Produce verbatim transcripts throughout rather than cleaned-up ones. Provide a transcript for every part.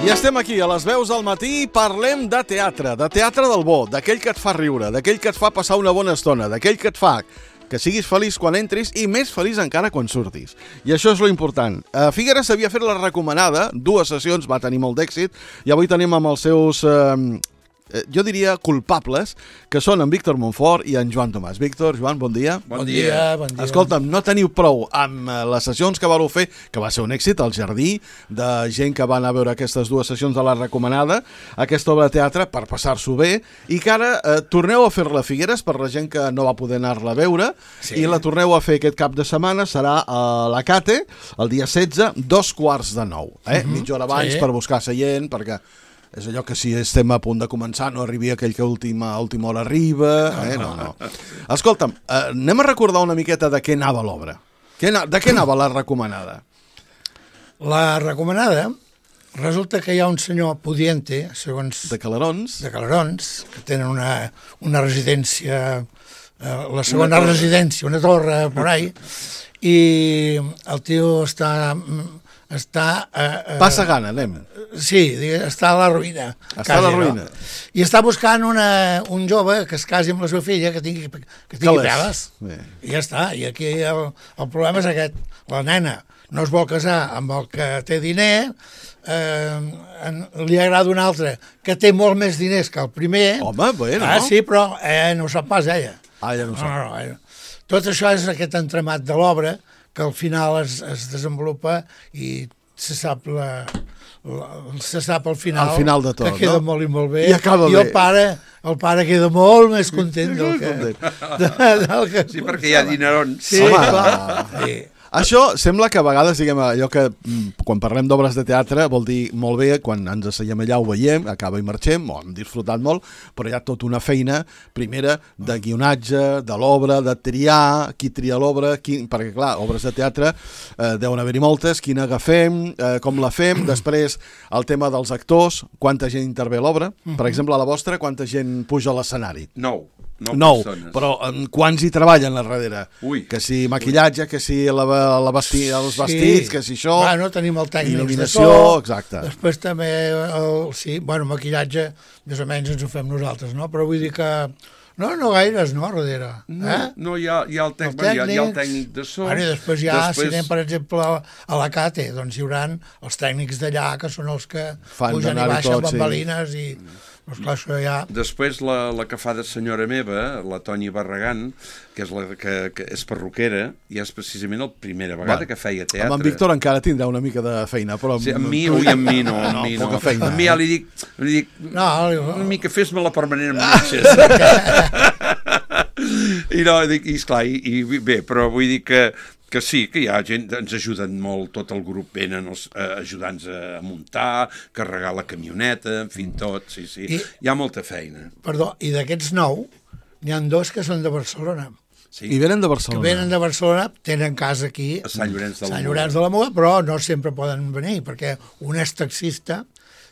I estem aquí, a les veus del matí, parlem de teatre, de teatre del bo, d'aquell que et fa riure, d'aquell que et fa passar una bona estona, d'aquell que et fa que siguis feliç quan entris i més feliç encara quan surtis. I això és lo important. A Figueres s'havia fet la recomanada, dues sessions, va tenir molt d'èxit, i avui tenim amb els seus... Eh, jo diria culpables, que són en Víctor Montfort i en Joan Tomàs. Víctor, Joan, bon dia. Bon dia, bon dia. Escolta'm, no teniu prou amb les sessions que vareu fer, que va ser un èxit, al Jardí, de gent que va anar a veure aquestes dues sessions de la recomanada, aquesta obra de teatre per passar-s'ho bé, i que ara eh, torneu a fer-la a Figueres per la gent que no va poder anar-la a veure, sí. I la torneu a fer aquest cap de setmana, serà a la Cate, el dia setze, dos quarts de nou, eh? Uh-huh. Mitja hora abans sí. Per buscar seient, perquè... és allò que si estem a punt de començar no arribi aquell que a última, a última hora arriba... Eh? No, no. Escolta'm, eh, anem a recordar una miqueta de què anava l'obra. De què anava la recomanada? La recomanada resulta que hi ha un senyor pudiente, segons... De Calarons. De Calarons, que tenen una, una residència, eh, la segona residència, una torre por ahí, i el tio està... està... Eh, Passa gana, anem. Sí, està a la ruïna. Està quasi, a la ruïna. No? I està buscant una, un jove que es casi amb la seva filla, que tingui, que tingui peles. I ja està. I aquí el, el problema és aquest. La nena no es vol casar amb el que té diner, eh, en, li agrada un altre que té molt més diners que el primer. Home, bé, no? Ah, sí, però eh, no ho sap pas ella. Ah, ja no ho sap. No, no, no. Tot això és aquest entremat de l'obra, que al final es, es desenvolupa i se sap la, la, se sap al final, al final de tot, que queda no? molt i molt bé, i, i el pare, el pare queda molt més content del que... De, del que sí, perquè hi ha dinerons. Sí, clar. Sí. Això sembla que a vegades, diguem, allò que quan parlem d'obres de teatre vol dir molt bé, quan ens asseiem allà ho veiem, acaba i marxem, ho hem disfrutat molt, però hi ha tota una feina, primera, de guionatge, de l'obra, de triar, qui tria l'obra, qui... perquè clar, obres de teatre eh, deuen haver-hi moltes, quina agafem, eh, com la fem, després el tema dels actors, quanta gent intervé a l'obra, per exemple, a la vostra, quanta gent puja a l'escenari? Nou. Nou, nou però en quants hi treballen a darrere? Ui. Que si maquillatge, que si la, la vesti, els vestits, sí. Que si això... Bueno, tenim el tècnic il·luminació, de so, exacte. Després també, el, sí, bueno, maquillatge, més o menys ens ho fem nosaltres, no? Però vull dir que... No, no gaires, no, darrere. No, eh? no hi, ha, hi, ha el tècnic, el tècnic, hi ha el tècnic de so. Bueno, i després hi ha, després... si anem, per exemple, a la Cate, doncs hi haurà els tècnics d'allà, que són els que fan pugen i baixen tot, bambalines sí. i... Doncs clar, això ja... Després la, la que fa de senyora meva, la Toni Barragán, que és la que, que és perruquera, i és precisament la primera vegada Va. que feia teatre. Amb en Víctor encara tindrà una mica de feina, però... Sí, amb mi, ui, amb mi no, amb no, mi no. Feina, amb mi ja li dic, li dic no, una mica fes-me la permanent amb metges. I no, dic, i esclar, i, i bé, però vull dir que que sí, que hi ha gent, ens ajuden molt, tot el grup venen els eh, ajudants a muntar, carregar la camioneta, en fi, tot, sí, sí, I, hi ha molta feina. Perdó, i d'aquests nou, n'hi ha dos que són de Barcelona. Sí. I venen de Barcelona. Que venen de Barcelona, tenen casa aquí, a Sant Llorenç de la Sant Llorenç de la Muga, però no sempre poden venir, perquè un és taxista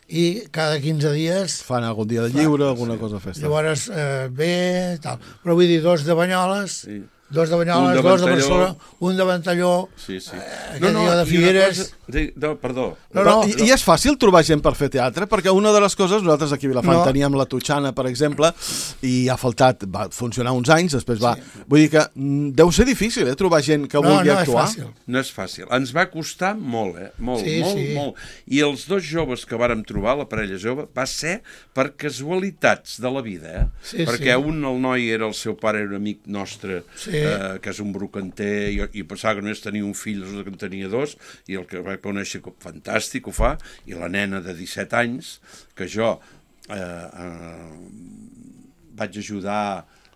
i cada quinze dies... Fan algun dia de lliure, fa, alguna sí. cosa a festa. Llavors, eh, bé, tal. Però vull dir, dos de Banyoles... Sí. Dos de Banyoles, de dos de Barcelona, un de Ventalló, sí, sí. Eh, no, no, de Figueres... Cosa... No, perdó. No, no, I, I és fàcil trobar gent per fer teatre? Perquè una de les coses, nosaltres aquí a Vilafant no. teníem la Tutxana, per exemple, i ha faltat, va funcionar uns anys, després va... Sí. Vull dir que deu ser difícil, eh, trobar gent que no, vulgui no actuar. És fàcil. No és fàcil. Ens va costar molt, eh? Molt, sí, molt, sí. molt. I els dos joves que vàrem trobar, la parella jove, va ser per casualitats de la vida, eh? Sí, perquè sí. un, el noi, era el seu pare, era un amic nostre, sí. eh, que és un brocanter, i, i pensava que només tenia un fill, resulta que en tenia dos, i el que va conèixer, fantàstic, ho fa, i la nena de disset anys, que jo eh, eh, vaig ajudar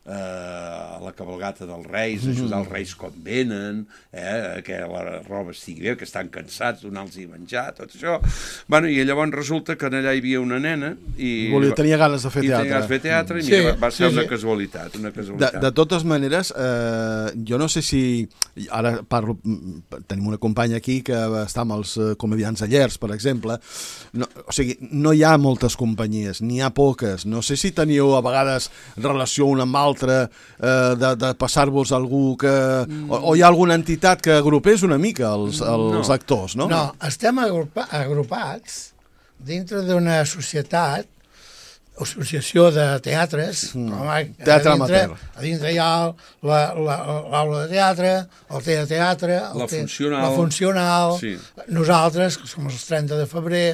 eh, a la cabalgata dels Reis, ajudar els Reis quan venen, eh, que la roba estigui bé, que estan cansats, donar-los menjar, tot això. Bueno, i llavors resulta que allà hi havia una nena i... Volia, tenia ganes de fer teatre. I tenia ganes de fer teatre, i sí, mira, va ser sí, una sí. casualitat, una casualitat. De, de totes maneres, eh, jo no sé si... Ara parlo... Tenim una companya aquí que està amb els comediants de Llers, per exemple. No, o sigui, no hi ha moltes companyies, n'hi ha poques. No sé si teniu a vegades relació una amb altra, eh, de, de passar-vos algú que... Mm. O, o hi ha alguna entitat que agrupés una mica els, els no. actors, no? No, estem agrupa, agrupats, dintre d'una societat, associació de teatres, mm. com a, teatre a dintre, amateur. A dintre hi ha l'aula de teatre, el te de teatre, el la te, funcional, la funcional sí. Nosaltres, que som els trenta de febrer,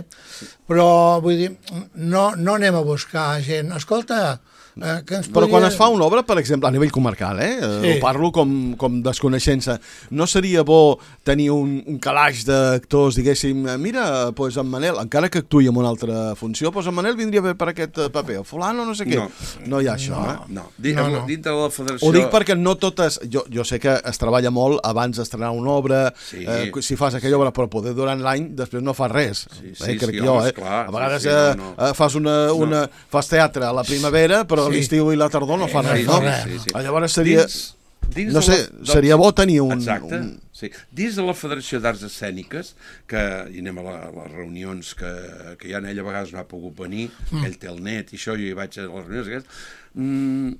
però vull dir, no, no anem a buscar gent. Escolta, eh, que ens però podria... quan es fa una obra, per exemple, a nivell comarcal, eh? Sí. Ho parlo com, com desconeixença, no seria bo tenir un, un calaix d'actors, diguéssim, mira, pues en Manel, encara que actuï en una altra funció, pues en Manel vindria bé per aquest paper, o fulano, no sé què. No, no hi ha això, no, eh? No, D no, no. Dintre de la federació... Ho dic perquè no totes... Jo, jo sé que es treballa molt abans d'estrenar una obra, sí. eh, si fas aquella obra, però poder durant l'any, després no fas res. Sí, sí, eh, crec sí, jo, home, eh? Clar, a vegades sí, sí, eh, no, no. fas, una, una, no. fas teatre a la primavera, però sí. l'estiu i la tardor no fas sí, res, no? Sí, sí. Llavors seria... Dins, dins no sé, la, seria bo tenir un... Exacte, un... sí. Dins de la Federació d'Arts Escèniques, que hi anem a, la, a les reunions que, que ja en ella a vegades no ha pogut venir, mm. ell té el net i això, jo hi vaig a les reunions aquestes, mm,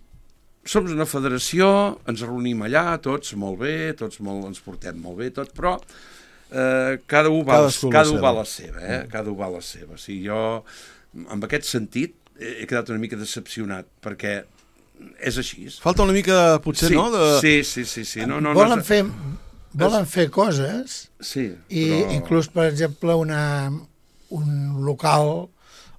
som una federació, ens reunim allà, tots molt bé, tots molt, ens portem molt bé, tot, però eh, cada un va, cada un va a la seva, eh? Mm. Cada un va a la seva. O sigui, jo, en aquest sentit, he quedat una mica decepcionat, perquè és així. Falta una mica, potser, sí, no? De... Sí, sí, sí. sí. No, no, volen no, fer, volen fer coses sí, i però... inclús, per exemple, una, un local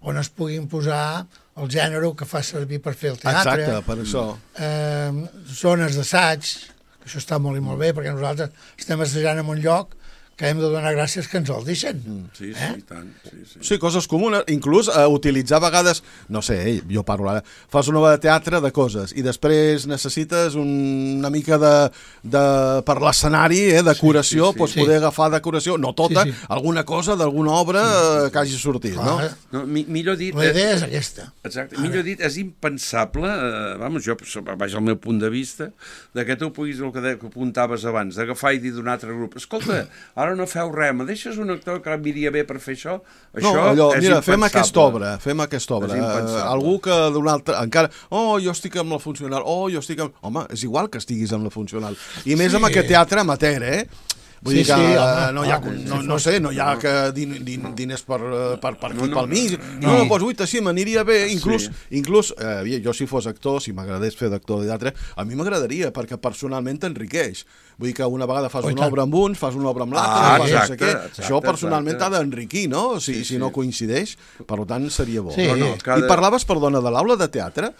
on es puguin posar el gènere que fa servir per fer el teatre. Exacte, per això. Eh, zones d'assaig, que això està molt i molt bé, perquè nosaltres estem assajant en un lloc que hem de donar gràcies que ens el deixen. Mm, sí, sí, eh? tant. Sí, sí. sí, coses comunes. Inclús eh, utilitzar a vegades, no sé, eh, jo parlo ara, fas una obra de teatre de coses i després necessites un, una mica de, de per l'escenari, eh, decoració, sí, sí, sí. Pots sí. poder agafar decoració, no tota, sí, sí. alguna cosa d'alguna obra sí. que hagi sortit, ah, no? no mi, millor dit... La idea és aquesta. Exacte. Ara. Millor dit, és impensable, eh, vamos, jo, vaig al meu punt de vista, de que tu puguis, el que, de, que apuntaves abans, d'agafar i dir d'un altre grup, escolta, ara no feu res, me deixes un actor que miria bé per fer això? Això no, allò, és mira, impensable. fem aquesta obra, fem aquesta obra. Uh, algú que d'un altre, encara, oh, jo estic amb la funcional, oh, jo estic amb... Home, és igual que estiguis amb la funcional. I més sí. amb aquest teatre amateur, eh? Vull sí, dir que sí, home, no hi ha, no, no sé, no hi ha que din, din, diners per, per, per aquí, no, no, pel mig. No, no, no doncs, ui, sí, m'aniria bé. Inclús, sí. inclús eh, jo si fos actor, si m'agradés fer d'actor de teatre, a mi m'agradaria, perquè personalment t'enriqueix. Vull dir que una vegada fas oh, una obra amb uns, fas una obra amb l'altre, ah, no sé què. Exacte, això personalment t'ha d'enriquir, no? Si, sí, si sí. no coincideix, per tant seria bo. Sí. No, no, cada... I parlaves, perdona, de l'aula de teatre.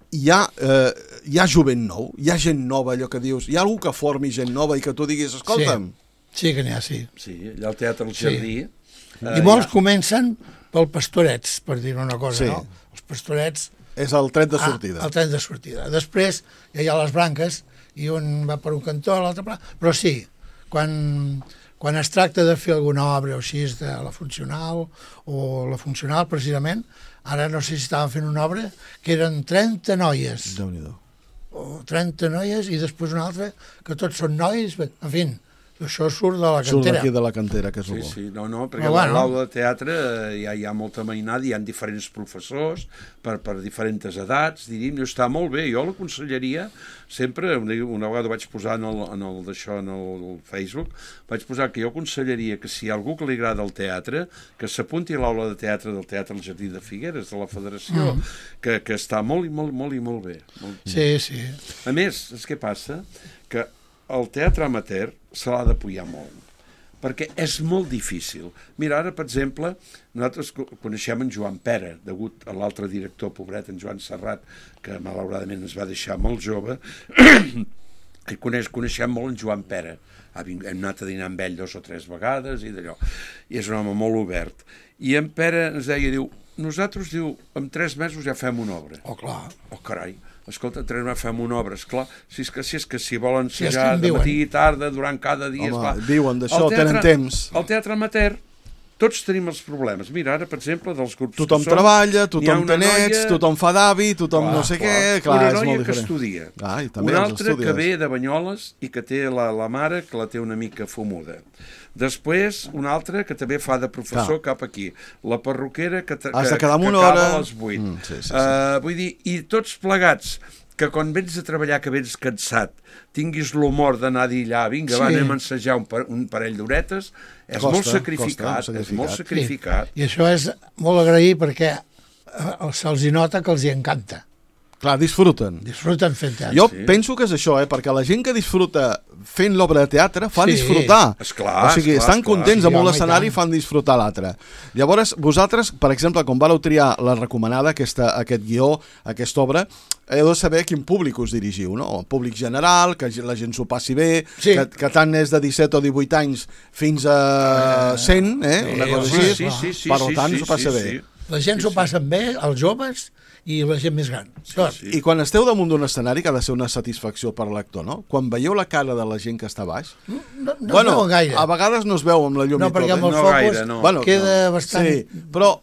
Hi ha, eh, hi ha jovent nou, hi ha gent nova, allò que dius, hi ha algú que formi gent nova i que tu diguis, escolta'm... Sí. Sí que n'hi ha, sí. Sí, allà al Teatre El Jardí... Sí. Eh, I molts ja... comencen pel Pastorets, per dir una cosa, sí. no? Els Pastorets... És el tren de sortida. Ah, el tren de sortida. Després ja hi ha les branques, i un va per un cantó, l'altre per... Però sí, quan, quan es tracta de fer alguna obra o així de la funcional, o la funcional, precisament, ara no sé si estaven fent una obra, que eren trenta noies. Déu-n'hi-do. O trenta noies, i després una altra, que tots són nois, en fi... Això surt de la cantera. Surt d'aquí de la cantera, que és sí, bo. Sí, no, no, perquè a l'aula de teatre ja hi ha molta mainada, hi ha diferents professors per, per diferents edats, diríem, i està molt bé. Jo l'aconsellaria sempre, una vegada ho vaig posar en el, en el d'això, en el Facebook, vaig posar que jo aconsellaria que si hi ha algú que li agrada el teatre, que s'apunti a l'aula de teatre del Teatre El Jardí de Figueres, de la Federació, mm. que, que està molt i molt, molt i molt bé. Molt... Sí, sí. A més, és què passa? Que el teatre amateur se l'ha d'apoyar molt, perquè és molt difícil. Mira, ara, per exemple, nosaltres coneixem en Joan Pera, degut a l'altre director, pobret, en Joan Serrat, que malauradament ens va deixar molt jove, i coneix, coneixem molt en Joan Pera. Hem anat a dinar amb ell dos o tres vegades, i d'allò. I és un home molt obert. I en Pera ens deia, diu, nosaltres, diu, en tres mesos ja fem una obra. Oh, clar. Oh, carai. Escolta, tres mesos fem una obra, esclar. Si és que si, és que si volen ensejar sí, de matí i tarda, durant cada dia... Home, esclar. Viuen d'això, tenen temps. El teatre amateur, tots tenim els problemes. Mira, ara, per exemple, dels grups tothom que són... treballa, tothom té nets, noia... tothom fa d'avi, tothom clar, no sé clar. què... Clar, una és noia molt que diferent. estudia. Ah, i també una altra que ve de Banyoles i que té la, la mare que la té una mica fumuda. Després, una altra que també fa de professor clar. cap aquí. La perruquera que, que, Has de quedar amb que una acaba hora... a les vuit. Mm, sí, sí, sí. Uh, vull dir, i tots plegats... que quan vens a treballar, que vens cansat, tinguis l'humor d'anar a dir allà, vinga, sí. va, anem a ensejar un, par un parell d'horetes, és costa, molt sacrificat, costa, és molt sacrificat. Sí. I això és molt agrair perquè eh, se'ls hi nota que els hi encanta. Clar, disfruten. Disfruten fent teatre. Jo sí. penso que és això, eh? Perquè la gent que disfruta fent l'obra de teatre fa sí. disfrutar. Esclar, o sigui, esclar, estan esclar. contents sí, amb l'escenari i fan disfrutar l'altre. Llavors, vosaltres, per exemple, quan vareu triar la recomanada, aquesta, aquest guió, aquesta obra, heu de saber a quin públic us dirigiu, no? El públic general, que la gent s'ho passi bé, sí. que, que tant és de disset o divuit anys fins a cent, eh? Sí, una cosa sí, així, sí, sí, sí, per tant sí, s'ho passa sí, bé. sí. La gent s'ho passen bé, els joves i la gent més gran. Sí, sí. I quan esteu damunt d'un escenari, que ha de ser una satisfacció per l'actor, no? Quan veieu la cara de la gent que està baix... No, no, no bueno, es veu gaire. A vegades no es veu amb la llum no, i tot. perquè amb eh? el no focus gaire, no. Bueno, queda no. bastant... Sí, però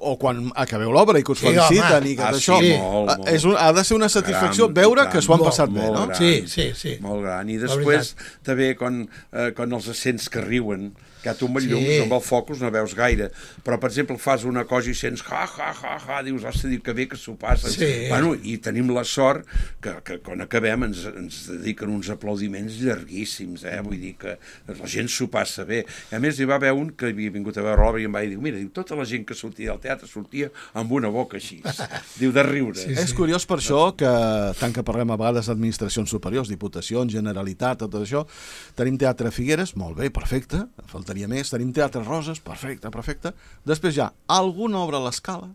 o quan acabeu l'obra i que us Sí, feliciten home. i que Ah, això... sí, molt, molt. És un, ha de ser una satisfacció Gran, veure gran, que s'ho han molt, passat bé, molt no? gran. Sí, sí, sí. Molt gran. I La després, veritat. també, quan, eh, quan els sents que riuen, que tu amb el Sí. llums, amb el focus no veus gaire, però per exemple fas una cosa i sents ha, ha, ha, ha, dius, hosti, que bé que s'ho passen. Sí. Bueno, i tenim la sort que, que quan acabem ens, ens dediquen uns aplaudiments llarguíssims, eh? Vull dir que la gent s'ho passa bé. A més, hi va haver un que havia vingut a veure l'obra i em va dir, mira, diu, tota la gent que sortia del teatre sortia amb una boca així, diu, de riure. Sí, És curiós per això que, tant que parlem a vegades d'administracions superiors, diputacions, Generalitat, tot això, tenim Teatre Figueres, molt bé, perfecte, faltaria més, tenim Teatre Roses, perfecte, perfecte, després ja, alguna obra a l'Escala,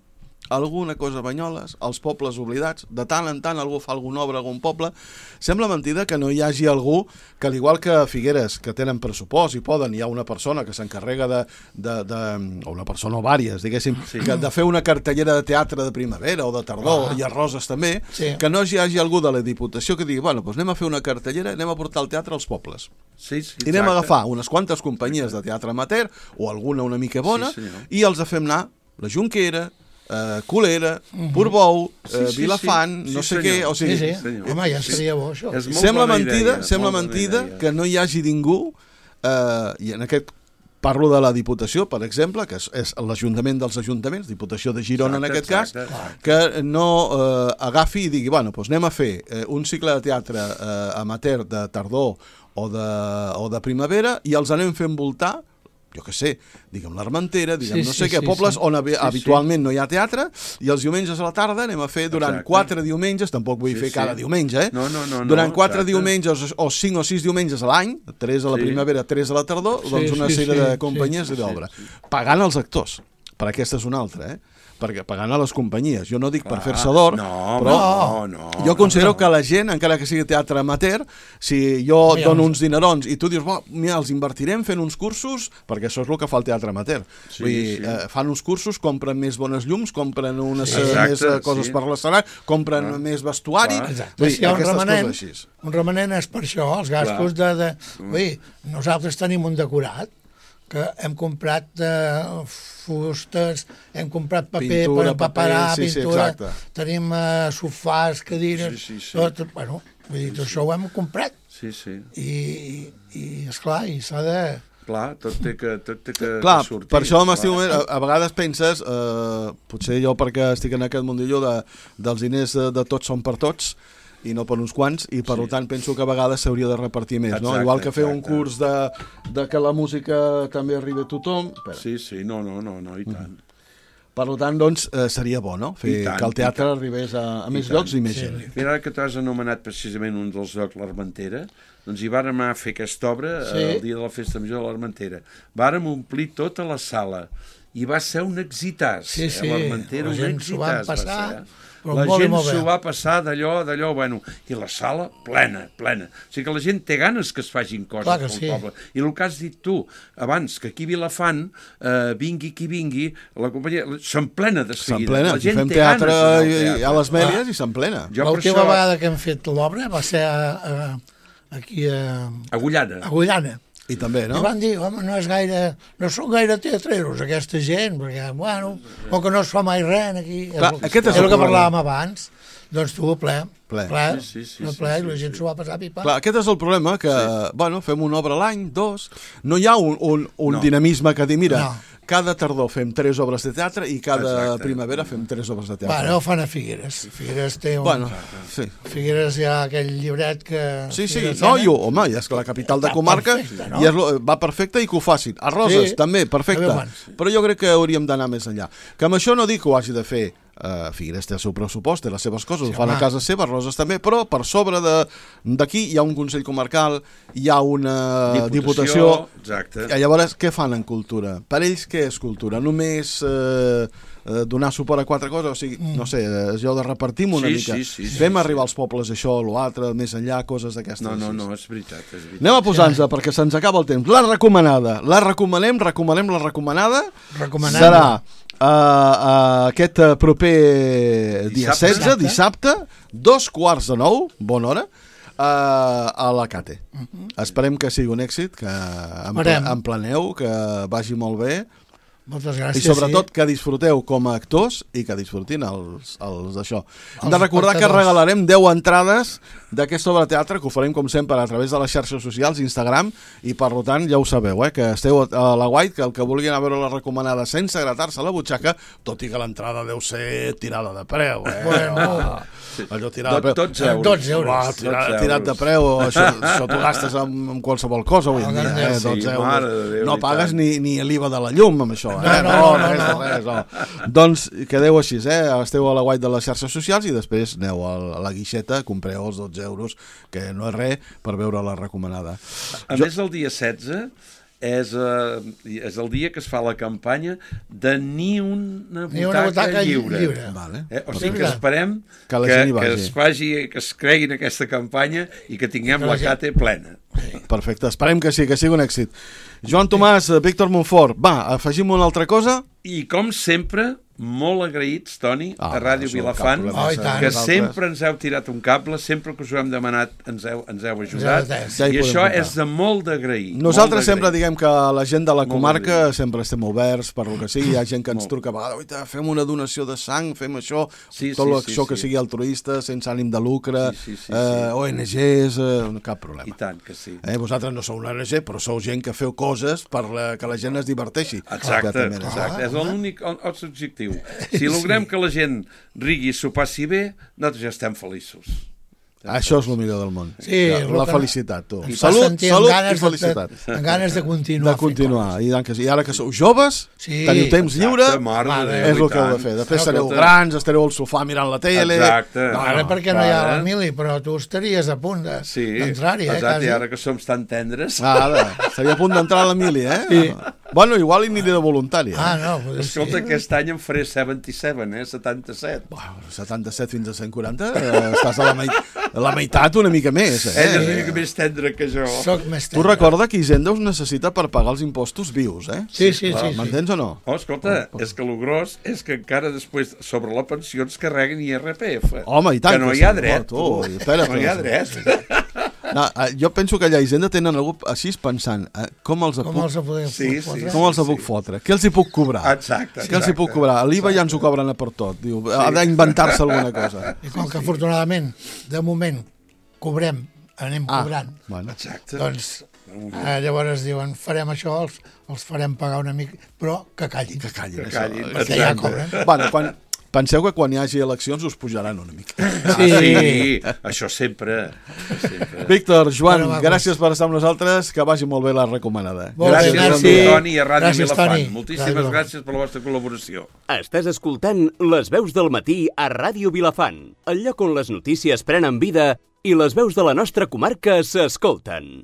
alguna cosa a Banyoles, els pobles oblidats, de tant en tant algú fa alguna obra a algun poble, sembla mentida que no hi hagi algú que, al igual que a Figueres, que tenen pressupost i poden, hi ha una persona que s'encarrega de, de, de, o una persona o vàries, diguéssim, sí. que de fer una cartellera de teatre de primavera o de tardor, ah. i a Roses també, sí. que no hi hagi algú de la Diputació que digui, bueno, doncs anem a fer una cartellera, anem a portar el teatre als pobles. Sí, sí, i anem a agafar unes quantes companyies de teatre amateur, o alguna una mica bona, sí, i els fem anar la Junquera, Uh, Colera, uh-huh. Portbou, uh, sí, sí, Vilafant, sí. no sí, sé senyor. què, o sigui... Sí, sí. Home, ja seria bo, això. Sembla mentida, idea, sembla mentida que no hi hagi ningú, uh, i en aquest parlo de la Diputació, per exemple, que és, és l'Ajuntament dels Ajuntaments, Diputació de Girona exacte, en aquest exacte. cas, que no uh, agafi i digui, bueno, doncs anem a fer uh, un cicle de teatre uh, amateur de tardor o de, o de primavera i els anem fent voltar, jo què sé, diguem l'Armentera, diguem sí, no sé sí, què, sí, pobles sí. on sí, habitualment sí. no hi ha teatre, i els diumenges a la tarda anem a fer durant Exacte. quatre diumenges, tampoc vull sí, fer sí. cada diumenge, eh? No, no, no, durant no, quatre exacte. diumenges o cinc o sis diumenges a l'any, tres a la sí. primavera, tres a la tardor, sí, doncs una sí, sèrie sí, de companyies sí, i d'obra. Sí, sí. Pagant els actors, per aquesta és una altra, eh? Perquè pagant a les companyies, jo no dic Clar, per fer-se d'or, no, però no, no, jo considero no. que la gent, encara que sigui teatre amateur, si jo no, dono uns dinerons i tu dius, oh, mira, els invertirem fent uns cursos, perquè això és el que fa el teatre amateur. Sí, Vull dir, sí. eh, fan uns cursos, compren més bones llums, compren unes sí, exacte, més coses sí. per l'escenari, compren ah. més vestuari, Vull dir, si un remanent, un remanent és per això, els gastos Clar. de... de vull dir, nosaltres tenim un decorat, que hem comprat uh, fustes, hem comprat paper pintura, per paperar, sí, pintura, sí, tenim uh, sofàs, cadires, sí, sí, sí. tot, bueno, vull dir, tot sí, això ho hem comprat. Sí, sí. I, i esclar, i s'ha de... Clar, tot té que, tot té que, clar, que sortir. Per això m'estic a, a vegades penses, eh, potser jo perquè estic en aquest mundillo de, dels diners de, de tots són per tots, i no per uns quants, i per sí. tant penso que a vegades s'hauria de repartir més, exacte, no? Igual que fer exacte. un curs de, de que la música també arribi a tothom. Espera. Sí, sí, no, no, no, no i tant. Mm. Per tant, doncs, eh, seria bo, no? Fer tant, que el teatre arribés a, a més tant. llocs i més sí. gent. Mira, ara que t'has anomenat precisament un dels llocs, l'Armentera, doncs hi vàrem anar a fer aquesta obra sí. el dia de la Festa Major de l'Armentera. Vàrem omplir tota la sala i va ser un exitàs. Sí, sí, eh? l'Armentera, la gent s'ho va passar... La gent s'ho va passar d'allò, d'allò, bueno, i la sala plena, plena. O sigui que la gent té ganes que es facin coses pel sí. poble. I el que has dit tu, abans, que aquí a Vilafant, eh, vingui qui vingui, la companyia s'emplena de seguida. S'emplena, si fem teatre, teatre a les Mèlies ah. i s'emplena. L'última això... vegada que hem fet l'obra va ser a, a, aquí a... Agullana. Agullana. I també, no? I van dir, home, no és gaire, no són gaire teatreros aquesta gent, perquè, bueno, o que no es fa mai res aquí. Clar, és, aquest és, és el, el que parlàvem abans, doncs tu, ple, ple, ple, sí, sí, sí, ple, sí, ple sí, i la gent sí. s'ho va passar pipa. Clar, aquest és el problema, que, sí. bueno, fem una obra a l'any, dos, no hi ha un, un, un no. dinamisme que dir, mira, no. cada tardor fem tres obres de teatre i cada Exacte. primavera fem tres obres de teatre. Bueno, ho fan a Figueres. Figueres té un... Bueno, sí. Figueres hi ha aquell llibret que... Sí, sí, Figueres no, Sena. i, home, ja és que la capital de Va comarca perfecte, no? i és, lo- va perfecte i que ho facin. A Roses, Sí. també, perfecte. A veure, Però jo crec que hauríem d'anar més enllà. Que amb això no dic que ho hagi de fer Uh, Figueres té el seu pressupost, té les seves coses, Sí, ho fan home. a casa seva, Roses també, però per sobre de- d'aquí hi ha un Consell Comarcal, hi ha una Diputació, Exacte. i llavors què fan en cultura? Per ells què és cultura? Només eh, eh, donar suport a quatre coses? O sigui, mm. no sé, eh, jo de repartim una Sí, mica, sí, sí, sí, fem sí, arribar als pobles això, l'altre, més enllà, coses d'aquestes. No, no, així. no, és veritat, és veritat. Anem a posar-nos perquè se'ns acaba el temps. La recomanada. La recomanem, recomanem la recomanada. Recomanada. Serà uh, uh, aquest uh, proper dia Dissabte. setze, dissabte, dos quarts de nou, bona hora, uh, a la Cate. Uh-huh. Esperem que sigui un èxit, que emple, Esperem. empleneu, que vagi molt bé. Moltes gràcies. I sobretot sí. que disfruteu com a actors i que disfrutin els, els d'això. Hem Els de recordar que espectadors. regalarem deu entrades d'aquesta obra de teatre, que ho farem com sempre a través de les xarxes socials, Instagram, i per tant ja ho sabeu, eh, que esteu a la White, que el que vulguin a veure la recomanada sense gratar-se a la butxaca, tot i que l'entrada deu ser tirada de preu, eh? Bueno. Allò tirada de Do- preu. dotze euros. dotze euros. Uah, tirat, dotze tirat de euros. preu, això, això t'ho gastes amb, amb qualsevol cosa avui en dia, eh? Sí, dotze mare euros. de Déu, No i pagues tant. ni, ni l'I V A de la llum amb això, eh? No, no, no, res, no. res, no. Doncs quedeu així, eh? Esteu a la White de les xarxes socials i després aneu a la guixeta, compreu els dotze euros, que no és res, per veure la recomanada. A més, el dia setze és, uh, és el dia que es fa la campanya de ni una butaca, Ni una butaca lliure. lliure. Vale. Eh? O sigui que esperem Que que, la que, gent hi que vagi. es faci, que es creguin aquesta campanya i que tinguem Que la la gent- Cate plena. Perfecte, esperem que sí, que sigui un èxit. Joan Tomàs, Víctor Montfort, va, afegim una altra cosa? I, com sempre, molt agraïts, Toni, Ah, a Ràdio això, Vilafant, cap problema, Oh, i tant. que nosaltres. sempre ens heu tirat un cable, sempre que us ho hem demanat ens heu, ens heu ajudat, Ja hi i podem això comptar. és de molt d'agrair. Nosaltres molt sempre d'agrair. diguem que la gent de la Molt comarca d'agrair. sempre estem oberts per lo que sigui, hi ha gent que ens Molt. truca a vegades, "Oita, fem una donació de sang, fem això, Sí, tot sí, això sí, que sí. sigui altruista, sense ànim de lucre, Sí, sí, sí, eh, sí. O N Ges, eh, cap problema. I tant que sí. Eh, vosaltres no sou una O N G, però sou gent que feu coses per la, que la gent es diverteixi. Exacte, Exactament. exacte. És l'únic el nostre objectiu. Si logrem que la gent rigui i s'ho passi bé, nosaltres ja estem feliços. Això és el millor del món. Sí, la, el la que- felicitat, tu. Ens fa Salut, sentir amb salut i ganes de- felicitat. Amb ganes de continuar. De continuar. I, tant que sí. I ara que sou joves, Sí, teniu temps exacte, lliure, mare de Déu, és el i que heu de tant. fer. Després No, sereu escolta. grans, estareu al sofà mirant la tele... Exacte. No, Ara no, perquè no hi ha ara. l'Emili, però tu estaries a punt de- Sí, d'entrar-hi, eh, exacte, quasi. i ara que som tan tendres... Ara, seria a punt d'entrar a l'Emili, eh? Sí. Bueno, igual hi aniré de voluntari. Eh? Ah, no, pues Escolta, sí. aquest any em faré setanta set, eh? setanta-set. Bueno, setanta-set fins a cent quaranta, eh, estàs a la, meit a la meitat una mica més, eh? Ell és una mica més tendre que jo. Soc més Tu recorda que Hisenda us necessita per pagar els impostos vius, eh? Sí, sí, sí. sí. M'entens o no? Oh, escolta, és que el gros és que encara després sobre la pensió ens carreguen I R P F. Home, i tant Que no que hi ha sí. dret, Oh, tu, tu. espera't. No hi ha dret. No, eh, jo penso que allà a Hisenda tenen algú així pensant eh, com els Com puc, els podem Sí, fotre? sí. com els puc fotre, què els hi puc cobrar? Exacte, Què els hi puc exacte. cobrar? L'I V A ja ens ho cobren a per tot. Diu, ha d'inventar-se alguna cosa. I com que afortunadament, de moment, cobrem, anem Ah, cobrant, bueno. Exacte. doncs eh, llavors diuen, farem això, els, els farem pagar una mica, però que callin. Que callin, Que això. callin, perquè ja exacte. cobren. Bueno, quan, penseu que quan hi hagi eleccions us pujaran una mica. Ah, sí, això sempre. sempre. Víctor, Joan, Bueno, va, gràcies per estar amb nosaltres, que vagi molt bé la recomanada. Molt bé, Gràcies, merci. Toni, i a Ràdio Gràcies, Vilafant. Toni. Moltíssimes Ràdio gràcies per la vostra col·laboració. Estàs escoltant Les veus del matí a Ràdio Vilafant, el lloc on les notícies prenen vida i les veus de la nostra comarca s'escolten.